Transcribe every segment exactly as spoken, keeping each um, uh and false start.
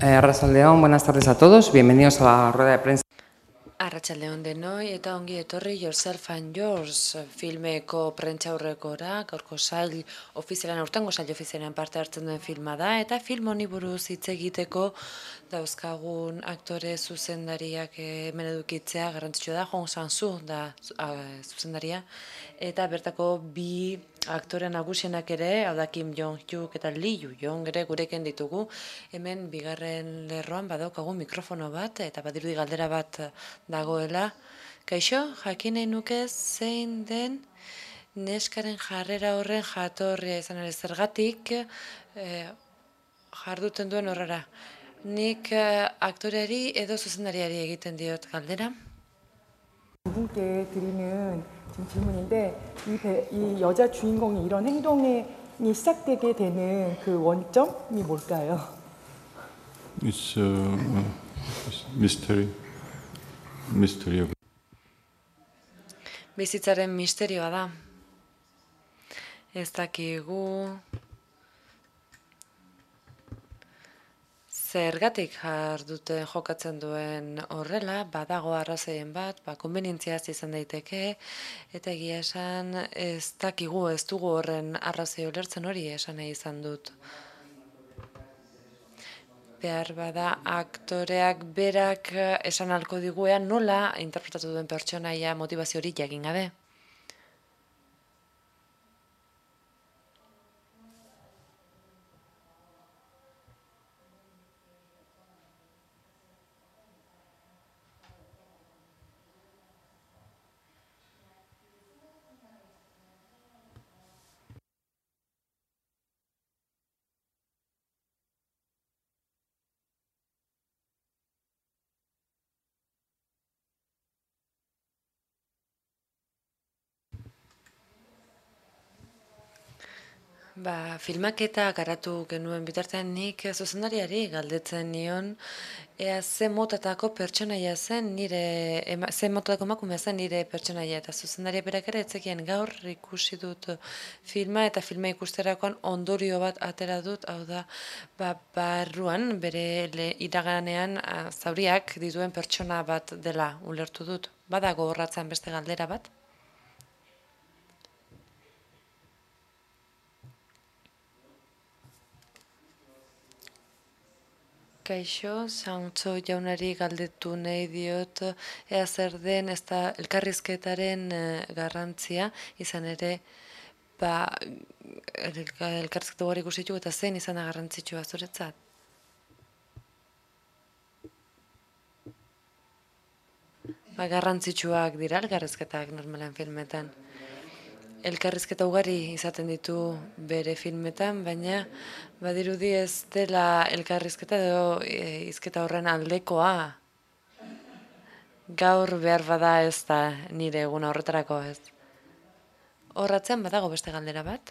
Eh, Arratsaldeon, buenas tardes a todos. Bienvenidos a la rueda de prensa. Arratsaldeon denoi eta ongi etorri Yourself and Yours filmeko prentsaurrekora, gaurko sail ofizialan, aurtengo sail ofizialan parte hartzen duen filma da, eta film honi buruz hitz egiteko dauzkagun aktore zuzendariak hemen edukitzea garrantzitsua da. Hong Sang-soo da zuzendaria, eta bertako bi aktore nagusienak ere, hau da Kim Jong-hyuk eta Lee Yoo-jong ere gurekin ditugu. Hemen bigarren lerroan badaukagu mikrofono bat, eta badirudi galdera bat dagoela. Kaixo, jakin nahi nuke zein den neskaren jarrera horren jatorria izan ere zergatik eh, jarduten duen horrera. Nik eh, aktoreari edo zuzendariari egiten diot galdera. 분께 드리는 지금 질문인데 이, 배, 이 여자 주인공이 이런 행동이 시작되게 되는 그 원점이 뭘까요? It's a uh, mystery. Mystery of Bizitzaren misterioa da. Ez dakigu zergatik jarduten jokatzen duen horrela, badago arrazoien bat, ba, konbenientziaz izan daiteke, eta egia esan ez dakigu, ez dugu horren arrazoi ulertzen, hori esan nahi izan dut. Behar bada aktoreak berak esan ahalko diguean nola interpretatu duen pertsonaia motivazio hori jakin gabe. Ba, filmaketa garatu genuen bitartean nik zuzendariari galdetzen nion ea ze motatako pertsonaia zen nire, ema, ze motatako emakumea zen nire pertsonaia, eta zuzendaria berak ere etzekien gaur ikusi dut filma, eta filma ikusterakoan ondorio bat atera dut, hau da, ba, barruan bere le, iraganean a, zauriak dituen pertsona bat dela ulertu dut. Badago horratzen beste galdera bat? Kaixo, Sang-soo jaunari galdetu nahi diot ea zer den ez da elkarrizketaren garrantzia, izan ere ba, elkarrizketa ugari ikusitu eta zein izan da garrantzitsua zuretzat? Ba, garrantzitsuak dira elkarrizketak normalen filmetan. Elkarrizketa ugari izaten ditu bere filmetan, baina badirudi ez dela elkarrizketa edo e, hizketa horren aldekoa. Gaur behar bada ez da nire eguna horretarako ez. Horratzen badago beste galdera bat?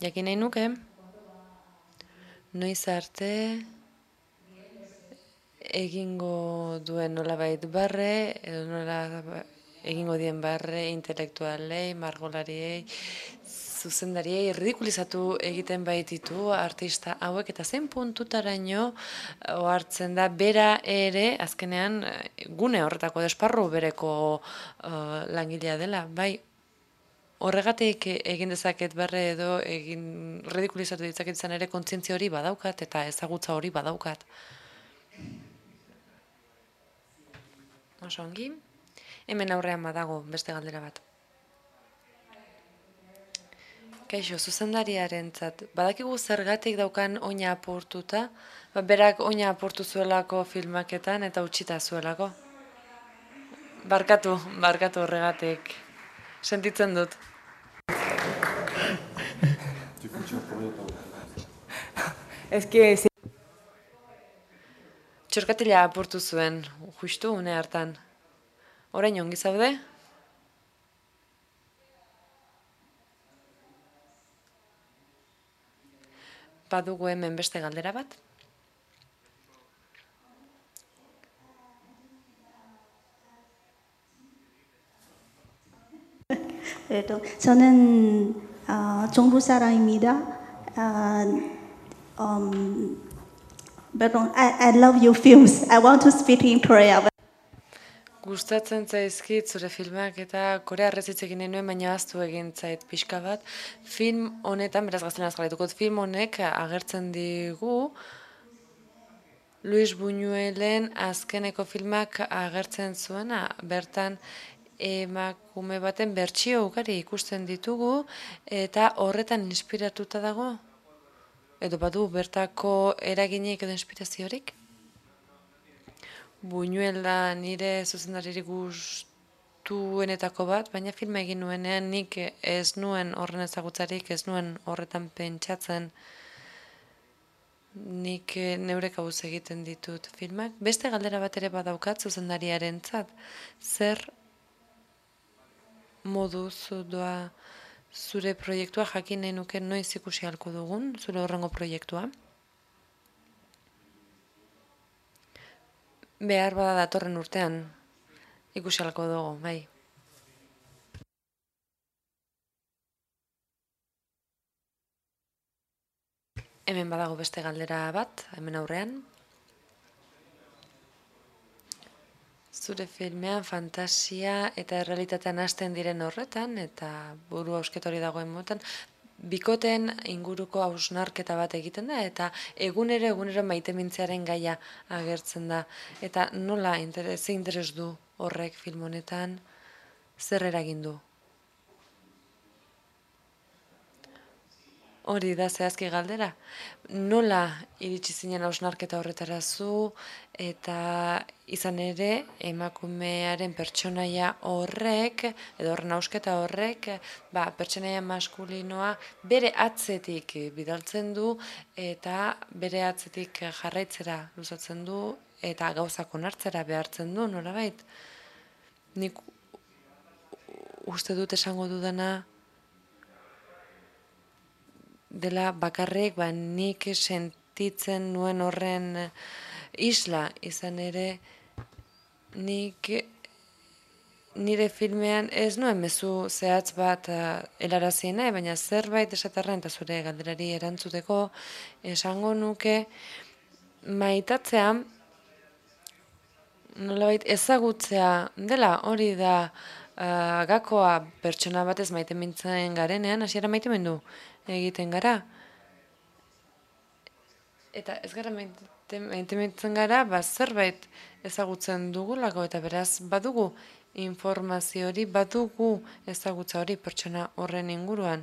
Jakin nahi nuke, noiz arte egingo duen nolabait barre, edo nola egingo dien barre intelektualei, margolariei, zuzendariei, ridikulizatu egiten baititu artista hauek, eta zein puntutaraino ohartzen da bera ere, azkenean gune horretako desparru bereko uh, langilea dela, bai. Horregatik egin dezaket barre edo egin ridikulizatu ditzaket izan ere kontzientzia hori badaukat eta ezagutza hori badaukat. Oso ongi. Hemen aurrean badago beste galdera bat. Kaixo, zuzendariarentzat, badakigu zergatik daukan oina apurtuta, ba, berak oina apurtu zuelako filmaketan eta utxita zuelako. Barkatu, barkatu horregatik. Sentitzen dut. Es que Txorkatila apurtu zuen, justu une hartan. Orain ongi zaude? Badugu hemen beste galdera bat? 저는 어, 중국 사람입니다. 어, Um, pardon, I, I love your films. I want to speak in Korea. But Gustatzen zaizkit zure filmak eta korearrez hitz egin nuen, baina ahaztu egin zait pixka bat. Film honetan, beraz gaztelanaz jarraituko, film honek agertzen digu Luis Buñuelen azkeneko filmak agertzen zuena, bertan emakume baten bertsio ugari ikusten ditugu eta horretan inspiratuta dago? Edo badu bertako eraginik edo inspiraziorik? Buñuel da nire zuzendaririk gustuenetako bat, baina filma egin nuenean nik ez nuen horren ezagutzarik, ez nuen horretan pentsatzen, nik neure kabuz egiten ditut filmak. Beste galdera bat ere badaukat zuzendariarentzat, zer moduz doa zure proiektua, jakin nahi nuke noiz ikusi ahalko dugun, zure horrengo proiektua? Behar bada datorren urtean ikusi ahalko dugu, bai. Hemen badago beste galdera bat, hemen aurrean. Zure filmean fantasia eta errealitatean hasten diren horretan, eta buru hausketori dagoen motan, bikoteen inguruko hausnarketa bat egiten da, eta egunero egunero maitemintzearen gaia agertzen da. Eta nola, interes, ze interes du horrek film honetan, zer eragin du? Hori da zehazki galdera. Nola iritsi zinen hausnarketa horretara zu, eta izan ere emakumearen pertsonaia horrek, edo horren hausketa horrek, ba, pertsonaia maskulinoa bere atzetik bidaltzen du, eta bere atzetik jarraitzera luzatzen du, eta gauzak onartzera behartzen du, nolabait. Nik uste dut esango dudana dela bakarrik, ba, nik sentitzen nuen horren isla, izan ere nik nire filmean ez nuen mezu zehatz bat uh, helaraziena, baina zerbait esaterren eta zure galderari erantzuteko esango nuke maitatzea nolabait ezagutzea dela, hori da uh, gakoa pertsona batez maite mintzen garenean, hasiera maite mendu egiten gara. Eta ez gara maite mintzen gara, ba, zerbait ezagutzen dugulako, eta beraz badugu informazio hori, badugu ezagutza hori pertsona horren inguruan.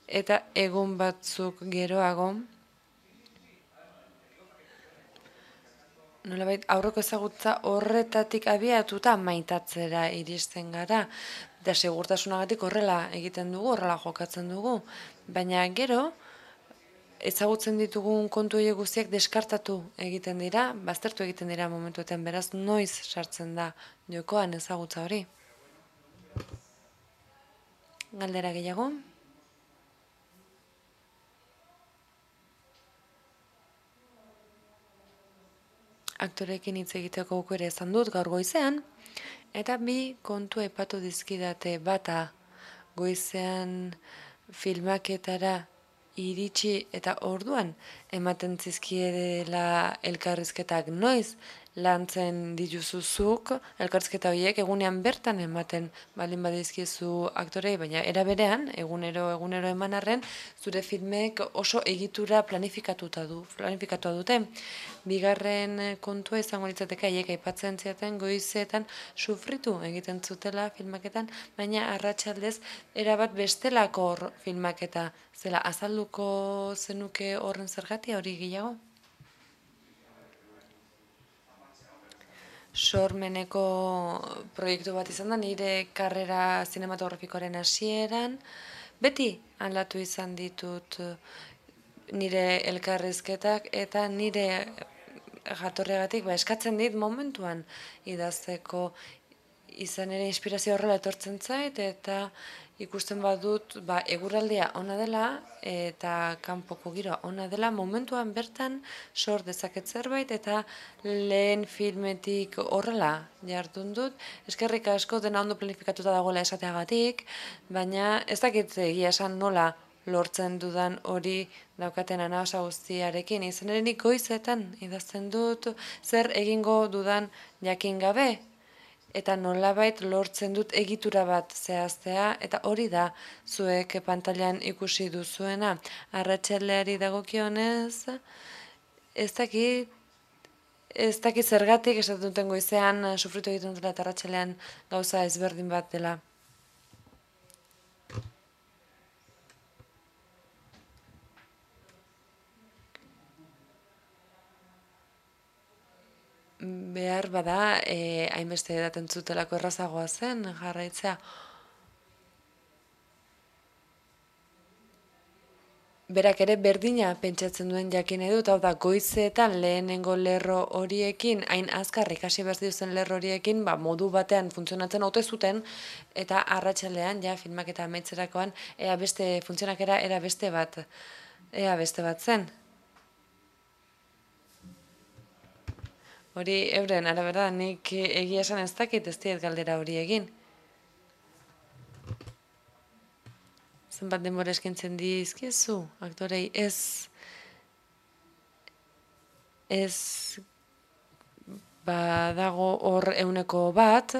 Eta egun batzuk geroago, nolabait aurreko ezagutza horretatik abiatuta maitatzera iristen gara, da segurtasunagatik horrela egiten dugu, horrela jokatzen dugu, baina gero ezagutzen ditugun kontu horiek guztiak deskartatu egiten dira, baztertu egiten dira momentuetan, beraz noiz sartzen da jokoan ezagutza hori. Galdera gehiago? Aktorekin hitz egiteko aukera izan dut gaur goizean, eta bi kontu aipatu dizkidate, bata goizean filmaketara iritsi eta orduan ematen zizkiedela elkarrizketak noiz lantzen dituzuzuk, elkarrizketa horiek egunean bertan ematen baldin badizkizu aktorei, baina era berean, egunero egunero eman arren, zure filmek oso egitura planifikatuta du, planifikatua dute. Bigarren kontua izango litzateke haiek aipatzen ziaten goizetan sufritu egiten zutela filmaketan, baina arratsaldez erabat bestelako filmaketa zela azalduko zenuke horren zergatia hori gehiago? Sormeneko proiektu bat izan da, nire karrera zinematografikoaren hasieran, beti aldatu izan ditut nire elkarrizketak eta nire jatorregatik ba, eskatzen dit momentuan idazteko, izan ere inspirazio horrela etortzen zait eta ikusten badut ba, eguraldia ona dela eta kanpoko giroa ona dela, momentuan bertan sor dezaket zerbait eta lehen filmetik horrela jardun dut. Eskerrik asko dena ondo planifikatuta dagoela esateagatik, baina ez dakit egia esan nola lortzen dudan hori daukaten anabasa guztiarekin. Izan ere nik goizetan idazten dut zer egingo dudan jakin gabe, eta nolabait lortzen dut egitura bat zehaztea, eta hori da zuek pantailan ikusi duzuena. Arratsaldeari dagokionez, ez dakit, ez dakit zergatik esaten duten goizean sufritu egiten dela eta arratsalean gauza ezberdin bat dela. Behar bada, eh, hainbeste edaten zutelako errazagoa zen jarraitzea. Berak ere berdina pentsatzen duen jakin edut, hau da goizetan lehenengo lerro horiekin, hain azkar ikasi behar dituzten lerro horiekin, ba, modu batean funtzionatzen ote zuten, eta arratsalean, ja, filmak eta amaitzerakoan, ea beste funtzionakera, era beste bat, ea beste bat zen. Hori euren, arabera, nik egia esan ez dakit ez diet galdera hori egin. Zenbat denbora eskintzen dizkiezu, aktorei ez, ez badago hor euneko bat,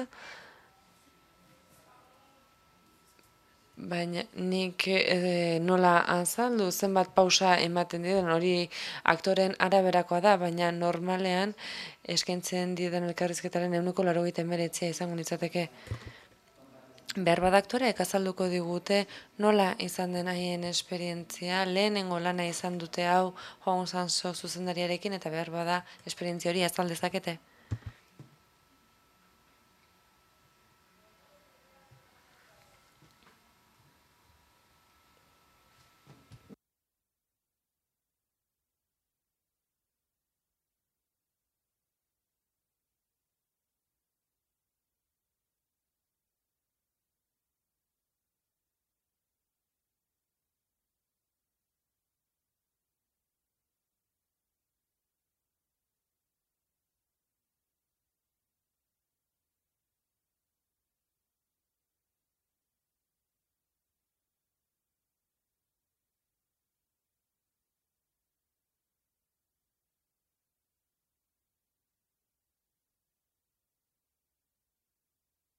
baina nik e, nola azaldu, zenbat pausa ematen diren, hori aktoren araberakoa da, baina normalean eskaintzen diren elkarrizketaren ehuneko laurogeita hemeretzia izango litzateke. Behar bada aktoreek azalduko digute nola izan den haien esperientzia, lehenengo lana izan dute hau Hong Sang-soo zuzendariarekin, eta behar bada esperientzia hori azal dezakete.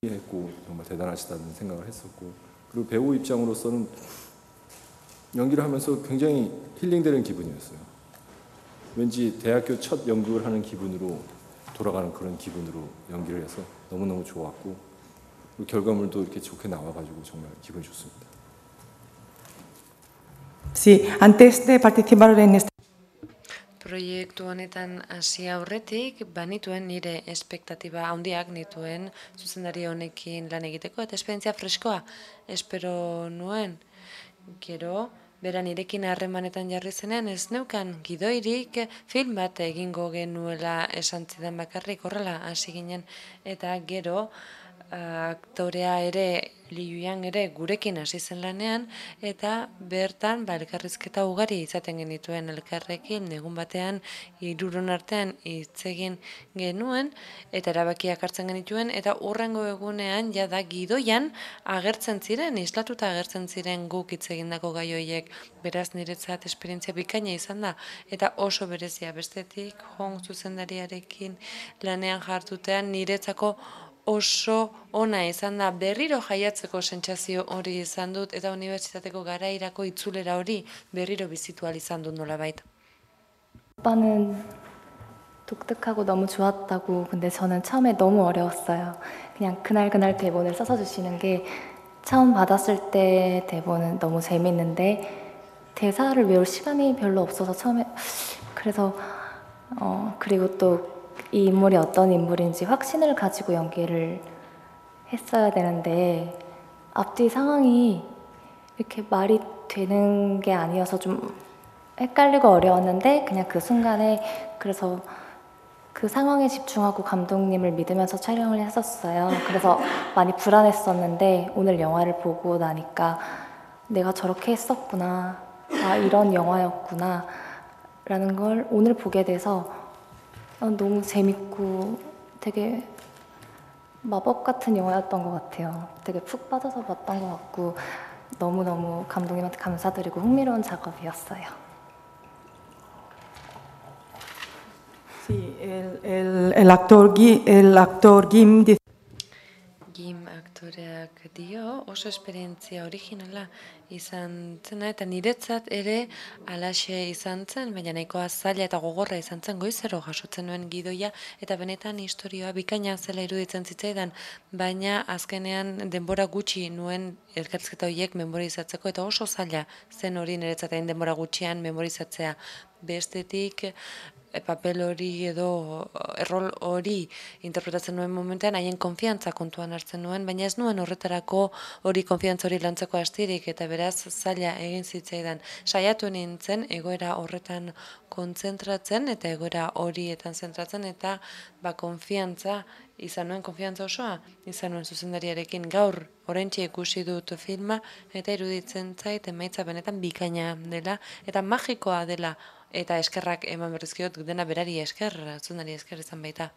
했고 정말 대단하시다는 생각을 했었고, 그리고 배우 입장으로서는 연기를 하면서 굉장히 힐링되는 기분이었어요. 왠지 대학교 첫 연극을 하는 기분으로 돌아가는 그런 기분으로 연기를 해서 너무너무 좋았고, 그리고 결과물도 이렇게 좋게 나와가지고 정말 기분이 좋습니다. Sí, antes de participar en este Proiektu honetan hasi aurretik, banituen nire espektatiba handiak nituen zuzendari honekin lan egiteko, eta esperientzia freskoa espero nuen. Gero, bera nirekin harremanetan jarri zenean ez neukan gidoirik film bat egingo genuela esan zidan bakarrik, horrela hasi ginen, eta gero aktorea ere, Liu Yang ere gurekin hasi zen lanean, eta bertan ba, elkarrizketa ugari izaten genituen elkarrekin, egun batean hiruron artean hitz egin genuen, eta erabakiak hartzen genituen, eta hurrengo egunean jada gidoian agertzen ziren, islatuta agertzen ziren guk hitz egindako gai horiek. Beraz niretzat esperientzia bikaina izan da, eta oso berezia bestetik, Hong zuzendariarekin lanean jartutean niretzako oso ona izan da, berriro jaiatzeko sentsazio hori izan dut, eta unibertsitateko garairako itzulera hori berriro bizitu ahal izan dut nolabait. 오빠는 독특하고 너무 좋았다고. 근데 저는 처음에 너무 어려웠어요. 그냥 그날그날 대본을 써서 주시는 게, 처음 받았을 때 대본은 너무 재밌는데 대사를 외울 시간이 별로 없어서 처음에, 그래서 어 그리고 또 이 인물이 어떤 인물인지 확신을 가지고 연기를 했어야 되는데 앞뒤 상황이 이렇게 말이 되는 게 아니어서 좀 헷갈리고 어려웠는데, 그냥 그 순간에 그래서 그 상황에 집중하고 감독님을 믿으면서 촬영을 했었어요. 그래서 많이 불안했었는데 오늘 영화를 보고 나니까 내가 저렇게 했었구나, 아 이런 영화였구나 라는 걸 오늘 보게 돼서 너무 재밌고 되게 마법 같은 영화였던 것 같아요. 되게 푹 빠져서 봤던 것 같고, 너무너무 감독님한테 감사드리고 흥미로운 작업이었어요. Sí, el, el, el actor, Gui- el actor Kim dice Gim aktoreak dio oso esperientzia originala izan zena eta niretzat ere alaxe izan zen, baina nahikoa zaila eta gogorra izan zen goizero jasotzen nuen gidoia eta benetan historioa bikaina zela iruditzen zitzaidan, baina azkenean denbora gutxi nuen elkarrizketa horiek memorizatzeko eta oso zaila zen hori niretzat hain denbora gutxian memorizatzea. Bestetik papel hori edo errol hori interpretatzen nuen momentean haien konfiantza kontuan hartzen nuen, baina ez nuen horretarako hori konfiantza hori lantzeko astirik eta beraz zaila egin zitzaidan. Saiatu nintzen egoera horretan kontzentratzen eta egoera horietan zentratzen eta ba konfiantza izan nuen, konfiantza osoa izan nuen zuzendariarekin. Gaur oraintxe ikusi dut filma eta iruditzen zait emaitza benetan bikaina dela eta magikoa dela. Eta eskerrak eman berrizkiot dena berari esker, zuzendari esker izan baita.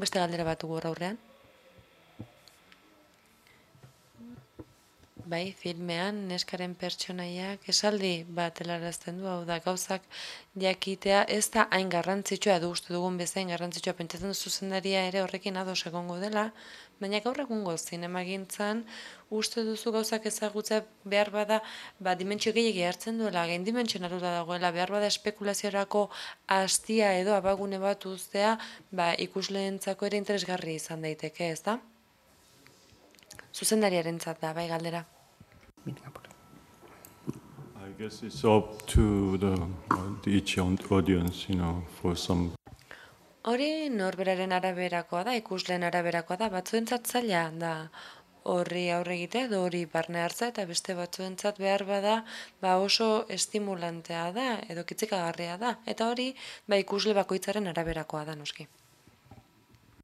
Beste galdera bat dugu aurrean. Bai, filmean neskaren pertsonaiak esaldi bat helarazten du, hau da gauzak jakitea ez da hain garrantzitsua edo uste dugun bezain garrantzitsua, pentsatzen du zuzendaria ere horrekin ados egongo dela, baina gaur egungo zinemagintzan uste duzu gauzak ezagutza behar bada ba, dimentsio gehiagi hartzen duela, gain dimentsionalura dagoela, behar bada espekulaziorako hastia edo abagune bat uztea ba, ikusleentzako ere interesgarri izan daiteke, ez da? Zuzendariarentzat da, bai galdera. I guess it's up to the, uh, the each audience, you know, for some. Hori norberaren araberakoa da, ikusleen araberakoa da, batzuentzat zaila da horri aurre egitea edo hori barne hartza eta beste batzuentzat behar bada ba oso estimulantea da edo kitzikagarria da eta hori ba ikusle bakoitzaren araberakoa da noski.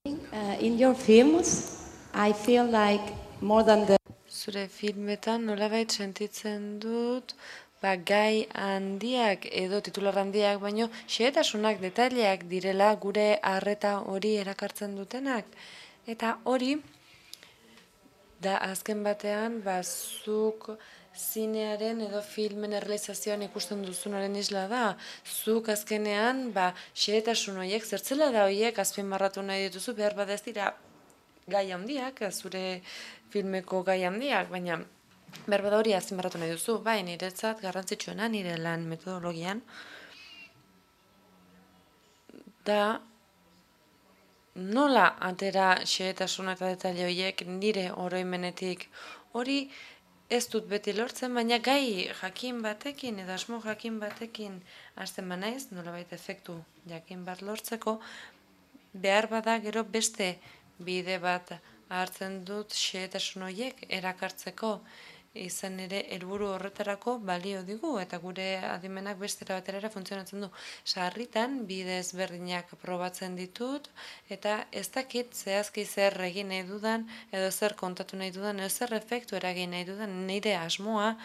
Uh, in your films, I feel like more than the Zure filmetan nolabait sentitzen dut ba, gai handiak edo titular handiak, baino xehetasunak, detaileak direla gure arreta hori erakartzen dutenak. Eta hori, da azken batean, ba, zuk zinearen edo filmen errealizazioan ikusten duzunaren isla da. Zuk azkenean, ba, xehetasun horiek, zertzela da horiek, azpimarratu nahi dituzu, behar bada ez dira gai handiak, zure filmeko gai handiak, baina behar bada hori azpimarratu nahi duzu, bai, niretzat garrantzitsuena nire lan metodologian, da nola atera xehetasuna eta detaile horiek nire oroimenetik hori ez dut beti lortzen, baina gai jakin batekin edo asmo jakin batekin hasten banaiz, nolabait efektu jakin bat lortzeko, behar bada gero beste bide bat hartzen dut xehetasun horiek erakartzeko, izan ere helburu horretarako balio digu eta gure adimenak bestera batera funtzionatzen du. Sarritan bide ezberdinak probatzen ditut eta ez dakit zehazki zer egin nahi dudan edo zer kontatu nahi dudan edo zer efektu eragin nahi dudan, nire asmoa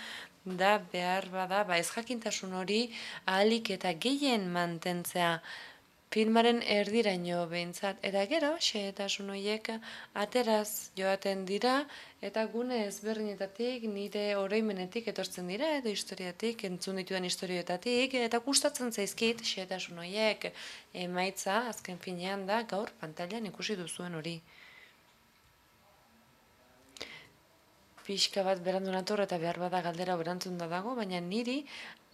da behar bada ba ez jakintasun hori ahalik eta gehien mantentzea filmaren erdiraino behintzat, eta gero, xehetasun horiek ateraz joaten dira, eta gune ezberdinetatik, nire oroimenetik etortzen dira, edo historiatik, entzun ditudan historioetatik, eta gustatzen zaizkit xehetasun horiek emaitza, azken finean da, gaur pantailan ikusi duzuen hori. Pixka bat berandu nator eta behar bada galdera berantzun da dago, baina niri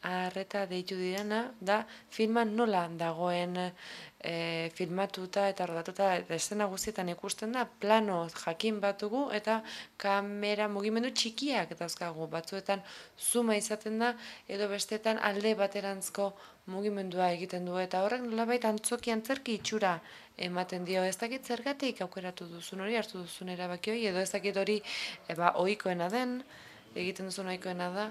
arreta deitu direna da filman nola dagoen e, filmatuta eta rodatuta eta eszena guztietan ikusten da plano jakin bat dugu eta kamera mugimendu txikiak dauzkagu, batzuetan zuma izaten da edo bestetan alde baterantzko mugimendua egiten du eta horrek nolabait antzoki antzerki itxura ematen dio, ez dakit zergatik aukeratu duzun hori, hartu duzun erabaki hori, edo ez dakit hori eba, ohikoena den, egiten duzun ohikoena da.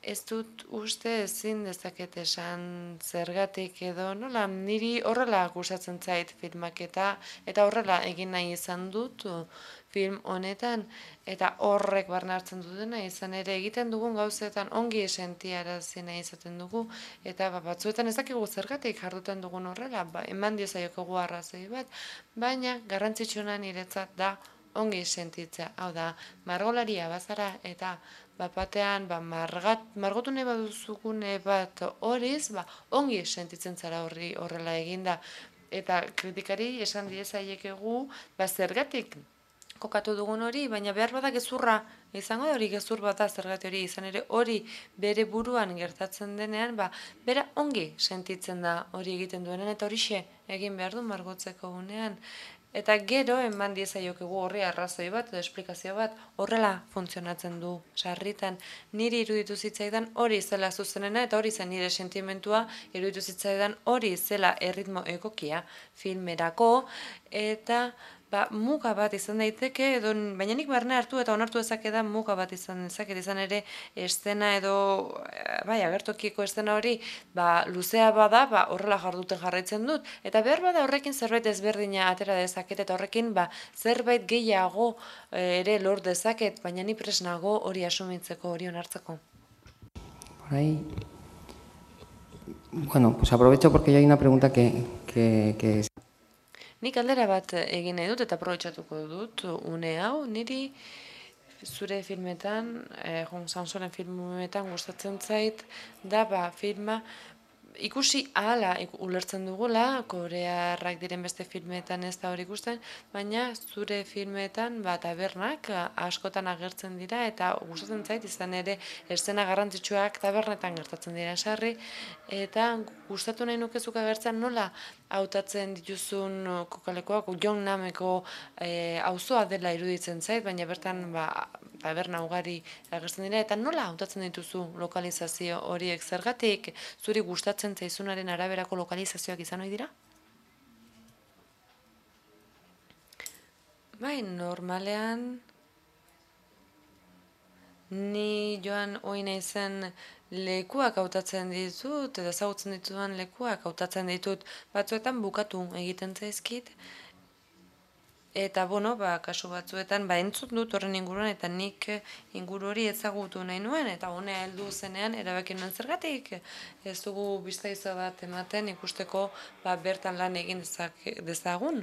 Ez dut uste ezin dezaket esan zergatik edo nola, niri horrela gustatzen zait filmak eta eta horrela egin nahi izan dut film honetan eta horrek barne hartzen dutena izan ere egiten dugun gauzetan ongi sentiarazi nahi izaten dugu eta ba, batzuetan ez dakigu zergatik jarduten dugun horrela, ba, eman diezaiokogu arrazoi bat, baina garrantzitsuena niretzat da ongi sentitzea. Hau da, margolaria bazara eta bapatean ba, margat, margotu nahi baduzukune bat horiz, ba, ongi sentitzen zara horri horrela eginda. Eta kritikari esan diezaiekegu, ba, zergatik kokatu dugun hori, baina behar bada gezurra izango da hori gezur bat da zergati hori izan ere hori bere buruan gertatzen denean, ba, bera ongi sentitzen da hori egiten duenean eta horixe egin behar du margotzeko unean. Eta gero eman diezaiokegu horri arrazoi bat edo esplikazio bat horrela funtzionatzen du sarritan. Niri iruditu zitzaidan hori zela zuzenena eta hori zen nire sentimentua, iruditu zitzaidan hori zela erritmo egokia filmerako eta ba, muga bat izan daiteke, edo, baina nik barne hartu eta onartu dezake da muga bat izan dezaket, izan ere estena edo, bai, agertokiko estena hori, ba, luzea bada, ba, horrela jarduten jarraitzen dut, eta behar bada horrekin zerbait ezberdina atera dezaket, eta horrekin ba, zerbait gehiago ere lor dezaket, baina ni presnago hori asumitzeko, hori onartzeko. Por ahí. Bueno, pues aprovecho porque ya hay una pregunta que, que, que... Nik aldera bat egin nahi dut eta aprobetxatuko dut une hau, niri zure filmetan, eh, Hong Sang-sooren filmetan gustatzen zait, da ba, filma ikusi ahala ulertzen dugula, korearrak diren beste filmetan ez da hori ikusten, baina zure filmetan ba, tabernak askotan agertzen dira eta gustatzen zait izan ere eszena garrantzitsuak tabernetan gertatzen dira sarri, eta gustatu nahi nukezuk agertzen nola hautatzen dituzun kokalekoak, Jongnameko auzoa dela iruditzen zait, baina bertan ba, taberna ugari agertzen dira, eta nola hautatzen dituzu lokalizazio horiek zergatik, zuri gustatzen zaizunaren araberako lokalizazioak izan ohi dira? Bai, normalean ni joan ohi naizen lekuak hautatzen ditut, edo ezagutzen ditudan lekuak hautatzen ditut, batzuetan bukatu egiten zaizkit, eta, bueno, ba, kasu batzuetan, ba, entzut dut horren inguruan, eta nik inguru hori ezagutu nahi nuen, eta honea heldu zenean, erabaki nuen zergatik, ez dugu biztaizo bat ematen ikusteko, ba, bertan lan egin dezagun,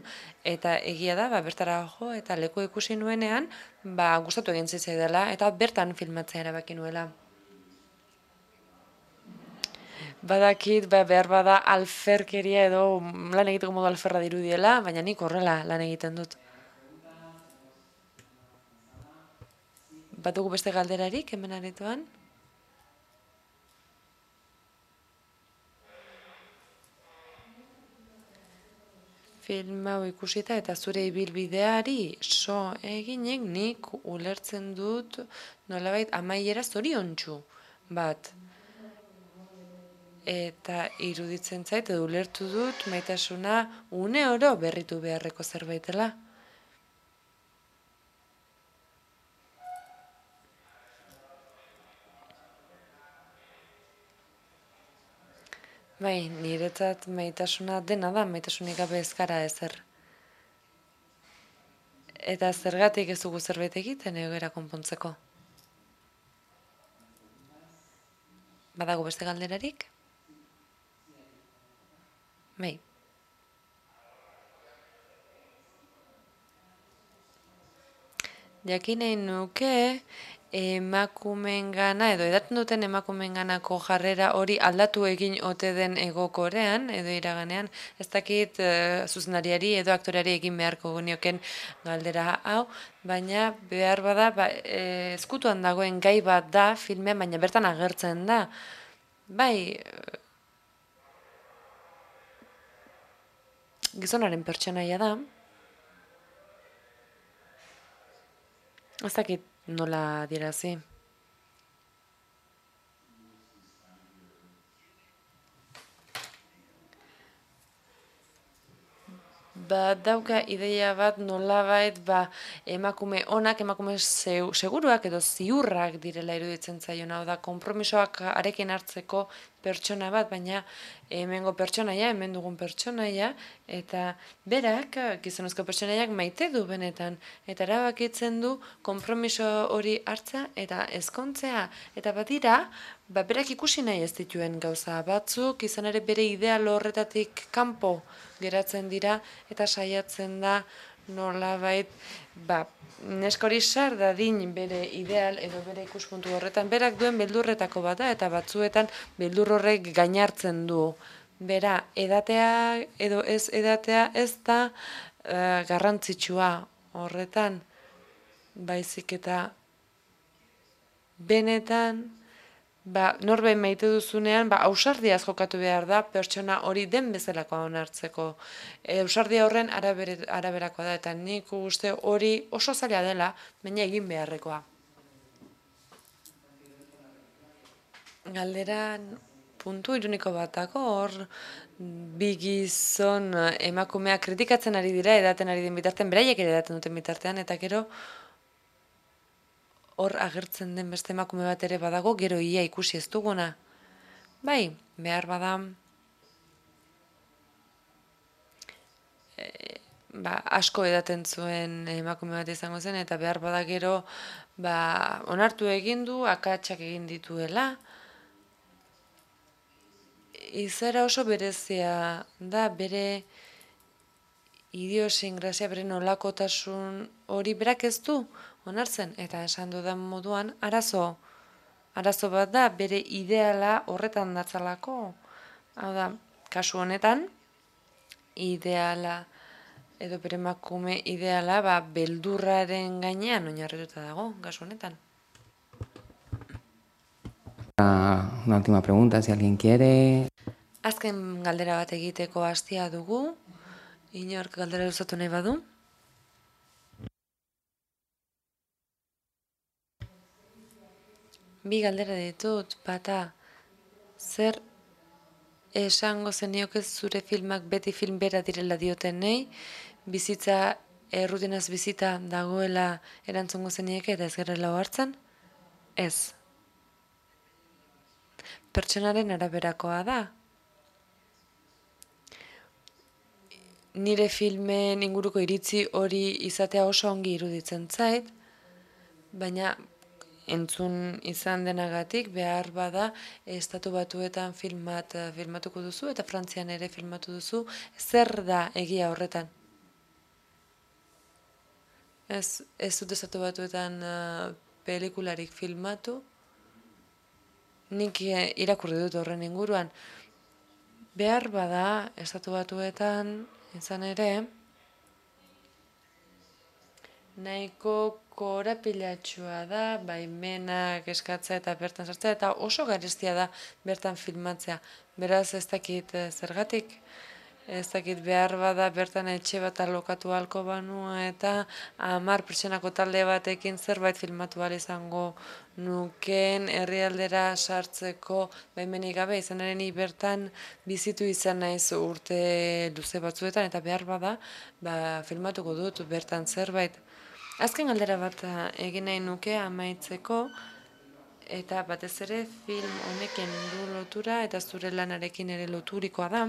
eta egia da, ba, bertara jo, eta leku ikusi nuenean, ba, gustatu egin zitzaidala, eta bertan filmatzea erabaki nuela. Badakit, ba, behar bada alferkeria edo lan egiteko modu alferra dirudiela, baina nik horrela lan egiten dut. Bat dugu beste galderarik, hemen aretoan? Film hau ikusita eta zure ibilbideari so eginek nik ulertzen dut nolabait amaiera zoriontsu bat. Eta iruditzen zait edo ulertu dut maitasuna une oro berritu beharreko zerbaitela. Bai, niretzat maitasuna dena da, maitasunik gabe ez gara ezer. Eta zergatik ez dugu zerbait egiten egoera konpontzeko. Badago beste galderarik? Bai. Jakin nahi nuke emakumeengana edo edaten duten emakumeenganako jarrera hori aldatu egin ote den Hego Korean edo iraganean, ez dakit uh, zuzenariari edo aktoreari egin beharko genioken galdera hau, baina behar bada ba, e, ezkutuan dagoen gai bat da filmean, baina bertan agertzen da. Bai, gizonaren pertsonaia da. Ez dakit nola adierazi. Ba, dauka ideia bat nolabait ba, emakume onak, emakume seguruak edo ziurrak direla iruditzen zaion, hau da, konpromisoak arekin hartzeko pertsona bat, baina hemengo pertsonaia, hemen dugun pertsonaia, eta berak, gizonezko pertsonaiak maite du benetan, eta erabakitzen du konpromiso hori hartza eta ezkontzea, eta badira, ba, berak ikusi nahi ez dituen gauza batzuk, izan ere bere ideal horretatik kanpo geratzen dira, eta saiatzen da nolabait, ba, neska hori sar dadin bere ideal edo bere ikuspuntu horretan, berak duen beldurretako bat da, eta batzuetan beldur horrek gainartzen du. Bera, edatea edo ez edatea ez da uh, garrantzitsua horretan, baizik eta benetan, ba, norbein maite duzunean, ba, ausardiaz jokatu behar da, pertsona hori den bezalakoa onartzeko. E, ausardia horren arabere, araberakoa da, eta nik uste hori oso zaila dela, baina egin beharrekoa. Galderan puntu iruniko batako, hor bi gizon emakumea kritikatzen ari dira, edaten ari den bitartean, beraiek ere edaten duten bitartean, eta gero hor agertzen den beste emakume bat ere badago, gero ia ikusi ez duguna. Bai, behar bada, e, ba, asko edaten zuen emakume bat izango zen, eta behar bada gero ba, onartu egin du, akatsak egin dituela. Izaera oso berezia da, bere idiosinkrazia, bere nolakotasun hori berak ez du onartzen, eta esan dudan moduan, arazo, arazo bat da, bere ideala horretan datzalako. Hau da, kasu honetan, ideala, edo bere emakume ideala, ba, beldurraren gainean oinarrituta dago, kasu honetan. Una última pregunta, si alguien quiere. Azken galdera bat egiteko hastia dugu, inork galdera luzatu nahi badu. Bi galdera ditut, bata, zer esango zenioke zure filmak beti film bera direla diotenei, bizitza, errutinaz bizita dagoela erantzungo zenieke eta ez gerela hartzen? Ez. Pertsonaren araberakoa da. Nire filmen inguruko iritzi hori izatea oso ongi iruditzen zait, baina entzun izan denagatik behar bada Estatu Batuetan filmat filmatuko duzu eta Frantzian ere filmatu duzu, zer da egia horretan? Ez, ez dut Estatu Batuetan uh, pelikularik filmatu, nik irakurri dut horren inguruan. Behar bada Estatu Batuetan izan ere, nahiko korapilatxua da, baimenak eskatzea eta bertan sartzea, eta oso garestia da bertan filmatzea. Beraz ez dakit zergatik, ez dakit behar bada bertan etxe bat alokatu halko banua eta hamar pertsonako talde batekin zerbait filmatu ahal izango nuken herrialdera sartzeko baimenik gabe, izan ere ni bertan bizitu izan naiz urte luze batzuetan, eta behar bada ba, filmatuko dut bertan zerbait. Azken galdera bat egin nahi nuke amaitzeko, eta batez ere film honekin du lotura eta zure lanarekin ere loturikoa da.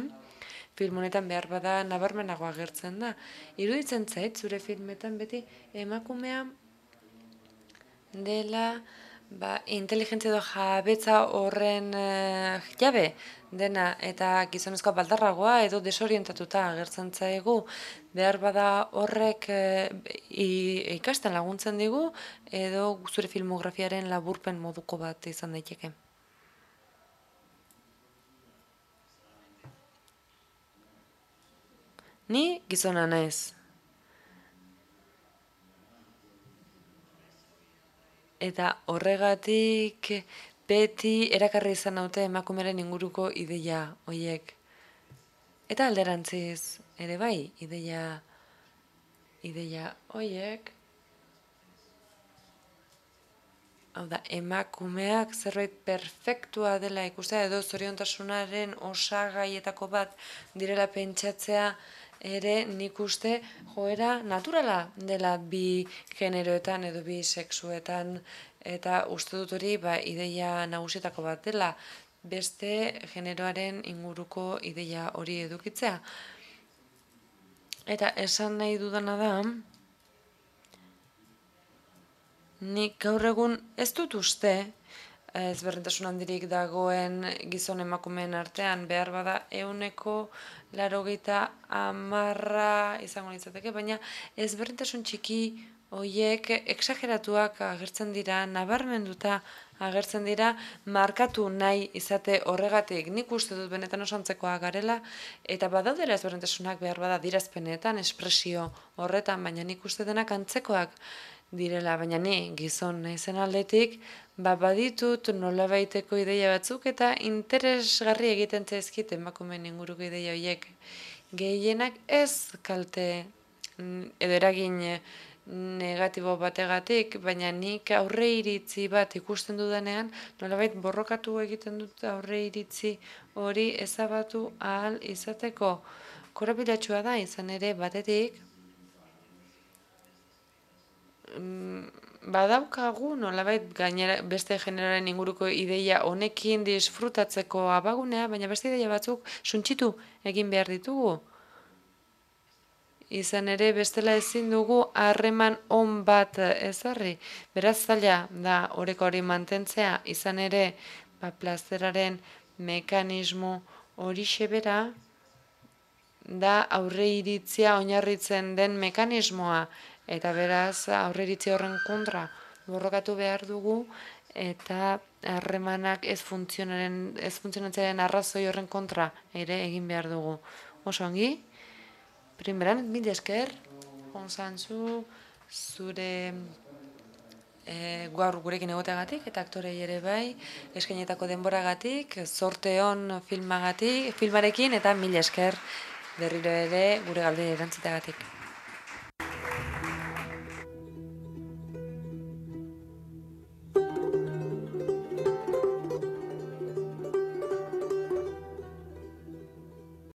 Film honetan behar bada nabarmenago agertzen da. Iruditzen zait zure filmetan beti emakumea dela ba, inteligentzia edo jabetza horren uh, jabe dena, eta gizonezkoa baldarragoa edo desorientatuta agertzen zaigu. Behar bada horrek uh, ikasten laguntzen digu edo zure filmografiaren laburpen moduko bat izan daiteke. Ni gizona naiz. Eta horregatik beti erakarri izan naute emakumearen inguruko ideia hoiek. Eta alderantziz ere bai, ideia ideia hoiek, hau da, emakumeak zerbait perfektua dela ikustea edo zoriontasunaren osagaietako bat direla pentsatzea ere nik uste joera naturala dela bi generoetan edo bi sexuetan, eta uste dut hori ba, ideia nagusietako bat dela beste generoaren inguruko ideia hori edukitzea. Eta esan nahi dudana da, nik gaur egun ez dut uste ezberdintasun handirik dagoen gizon emakumeen artean, behar bada ehuneko laurogeita hamarra izango litzateke, baina ezberdintasun txiki horiek exageratuak agertzen dira, nabarmenduta agertzen dira, markatu nahi izate horregatik. Nik uste dut benetan oso antzekoak garela, eta badaudera ezberdintasunak behar bada adierazpenetan, espresio horretan, baina nik uste denak antzekoak direla, baina ni gizon naizen aldetik, ba baditut nolabaiteko ideia batzuk eta interesgarri egiten zaizkit emakumeen inguruko ideia horiek. Gehienak ez kalte edo eragin negatibo bategatik, baina nik aurre iritzi bat ikusten dudanean, nolabait borrokatu egiten dut aurre iritzi hori ezabatu ahal izateko. Korapilatsua da izan ere batetik, badaukagu nolabait gainera beste generoaren inguruko ideia honekin disfrutatzeko abagunea, baina beste ideia batzuk suntsitu egin behar ditugu. Izan ere bestela ezin dugu harreman on bat ezarri. Beraz zaila da oreka hori mantentzea, izan ere ba, plazeraren mekanismo hori bera da aurre iritzia oinarritzen den mekanismoa. Eta beraz, aurreiritzi horren kontra borrokatu behar dugu, eta harremanak ez funtzionatzearen arrazoi horren kontra ere egin behar dugu. Oso ongi, primeran, mil esker, Gonzantzu, zure gaur gurekin egoteagatik, eta aktorei ere bai, eskainetako denboragatik, zorte on filmagatik, filmarekin, eta mil esker berriro ere gure galdera erantzuteagatik.